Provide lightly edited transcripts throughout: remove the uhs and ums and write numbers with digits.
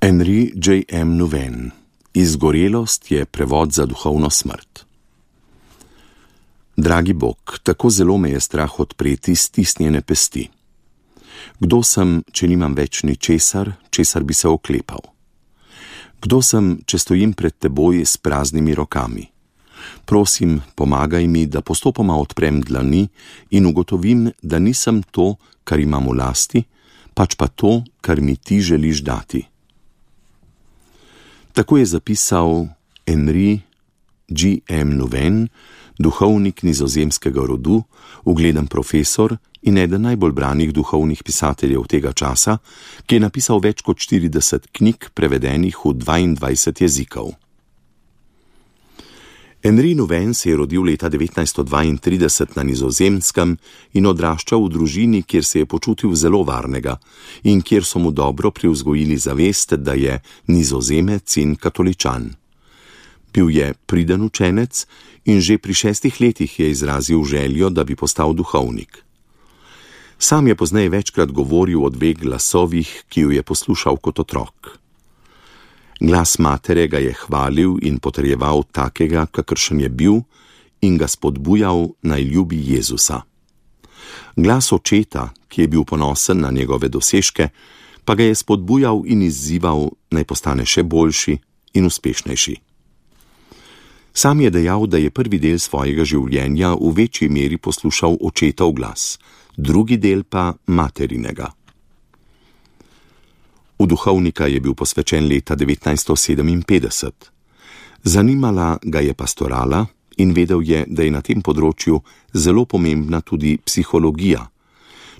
Henri J. M. Nouwen. Izgorelost je prevod za duhovno smrt. Dragi Bog, tako zelo me je strah odpreti stisnjene pesti. Kdo sem, če nimam več ničesar, česar bi se oklepal? Kdo sem, če stojim pred teboj s praznimi rokami? Prosim, pomagaj mi, da postopoma odprem dlani in ugotovim, da nisem to, kar imam v lasti, pač pa to, kar mi ti želiš dati. Tako je zapisal Henri J. M. Nouwen, duhovnik nizozemskega rodu, ugleden profesor in eden najbolj branih duhovnih pisateljev tega časa, ki je napisal več kot 40 knjig, prevedenih v 22 jezikov. Henri Nouwen se je rodil leta 1932 na Nizozemskem in odraščal v družini, kjer se je počutil zelo varnega in kjer so mu dobro privzgojili zavest, da je Nizozemec in katoličan. Bil je priden učenec in že pri 6 letih je izrazil željo, da bi postal duhovnik. Sam je pozneje večkrat govoril o 2 glasovih, ki ju je poslušal kot otrok. Glas matere ga je hvalil in potrjeval takega, kakršen je bil, in ga spodbujal, naj ljubi Jezusa. Glas očeta, ki je bil ponosen na njegove dosežke, pa ga je spodbujal in izzival, naj postane še boljši in uspešnejši. Sam je dejal, da je prvi del svojega življenja v večji meri poslušal očetov glas, drugi del pa materinega. V duhovnika je bil posvečen leta 1957. Zanimala ga je pastorala in vedel je, da je na tem področju zelo pomembna tudi psihologija,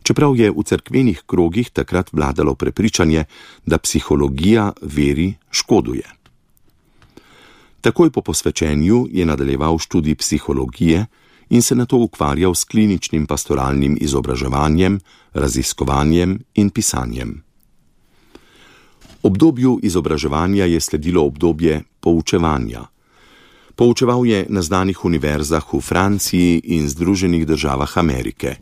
čeprav je v cerkvenih krogih takrat vladalo prepričanje, da psihologija veri škoduje. Takoj po posvečenju je nadaljeval študij psihologije in se nato ukvarjal s kliničnim pastoralnim izobraževanjem, raziskovanjem in pisanjem. Obdobju izobraževanja je sledilo obdobje poučevanja. Poučeval je na znanih univerzah v Franciji in Združenih državah Amerike.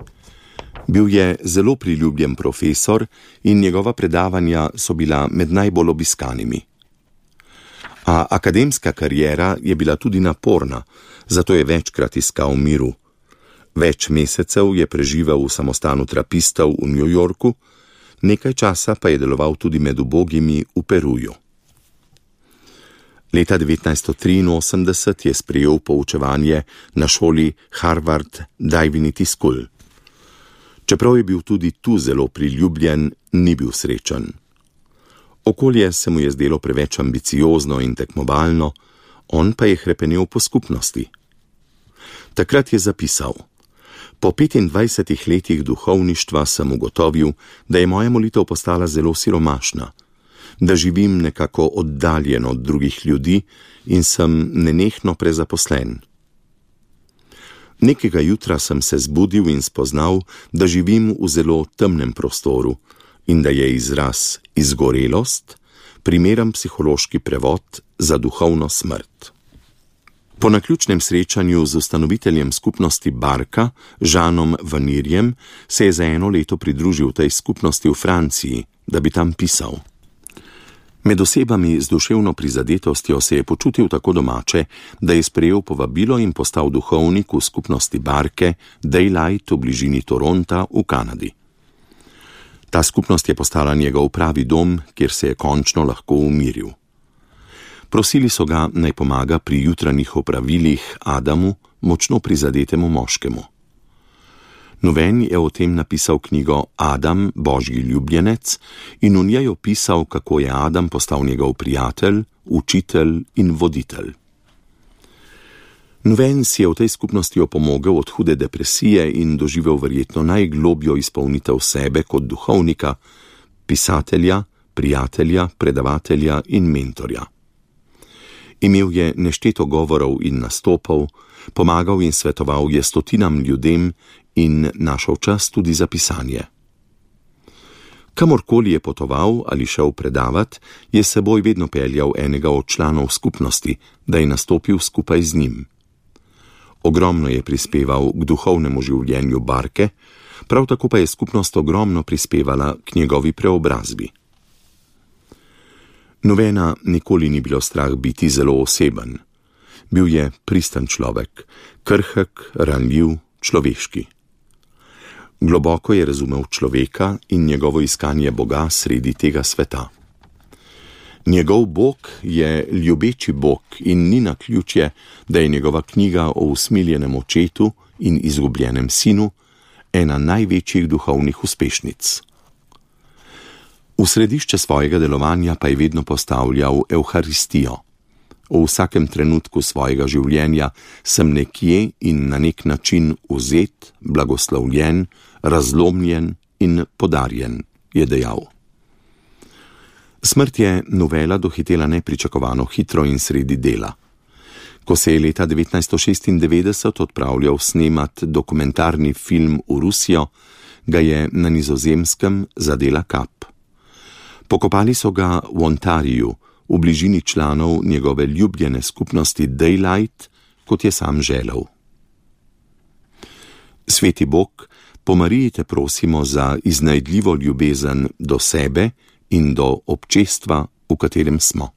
Bil je zelo priljubljen profesor in njegova predavanja so bila med najbolj obiskanimi. A akademska kariera je bila tudi naporna, zato je večkrat iskal miru. Več mesecev je preživel v samostanu trapistov v New Yorku, nekaj časa pa je deloval tudi med ubogimi v Peruju. Leta 1983 je sprejel poučevanje na šoli Harvard Divinity School. Čeprav je bil tudi tu zelo priljubljen, ni bil srečen. Okolje se mu je zdelo preveč ambiciozno in tekmovalno, on pa je hrepenel po skupnosti. Takrat je zapisal: Po 25 letih duhovništva sem ugotovil, da je moja molitev postala zelo siromašna, da živim nekako oddaljen od drugih ljudi in sem nenehno prezaposlen. Nekega jutra sem se zbudil in spoznal, da živim v zelo temnem prostoru in da je izraz izgorelost primeren psihološki prevod za duhovno smrt. Po naključnem srečanju z ustanoviteljem skupnosti Barka, Žanom Vanirjem, se je za 1 leto pridružil tej skupnosti v Franciji, da bi tam pisal. Med osebami z duševno prizadetostjo se je počutil tako domače, da je sprejel povabilo in postal duhovnik v skupnosti Barke Daylight v bližini Toronta v Kanadi. Ta skupnost je postala njegov pravi dom, kjer se je končno lahko umiril. Prosili so ga, naj pomaga pri jutranjih opravilih Adamu, močno prizadetemu moškemu. Nouwen je o tem napisal knjigo Adam, Božji ljubljenec, in v njej opisal, kako je Adam postal njegov prijatelj, učitelj in voditelj. Nouwen si je v tej skupnosti opomogel od hude depresije in doživel verjetno najglobjo izpolnitev sebe kot duhovnika, pisatelja, prijatelja, predavatelja in mentorja. Imel je nešteto govorov in nastopov, pomagal in svetoval je stotinam ljudem in našel čas tudi za pisanje. Kamorkoli je potoval ali šel predavat, je s seboj vedno peljal enega od članov skupnosti, da je nastopil skupaj z njim. Ogromno je prispeval k duhovnemu življenju Barke, prav tako pa je skupnost ogromno prispevala k njegovi preobrazbi. Novena nikoli ni bilo strah biti zelo oseben. Bil je pristan človek, krhek, ranljiv, človeški. Globoko je razumel človeka in njegovo iskanje Boga sredi tega sveta. Njegov Bog je ljubeči Bog in ni naključje, da je njegova knjiga o usmiljenem očetu in izgubljenem sinu ena največjih duhovnih uspešnic. V središče svojega delovanja pa je vedno postavljal Evharistijo. V vsakem trenutku svojega življenja sem nekje in na nek način vzet, blagoslovljen, razlomljen in podarjen, je dejal. Smrt je Novela dohitela nepričakovano hitro in sredi dela. Ko se je leta 1996 odpravljal snemat dokumentarni film v Rusijo, ga je na Nizozemskem zadela kap. Pokopali so ga v Ontariju, v bližini članov njegove ljubljene skupnosti Daylight, kot je sam želel. Sveti Bog, po Mariji te prosimo za iznajdljivo ljubezen do sebe in do občestva, v katerem smo.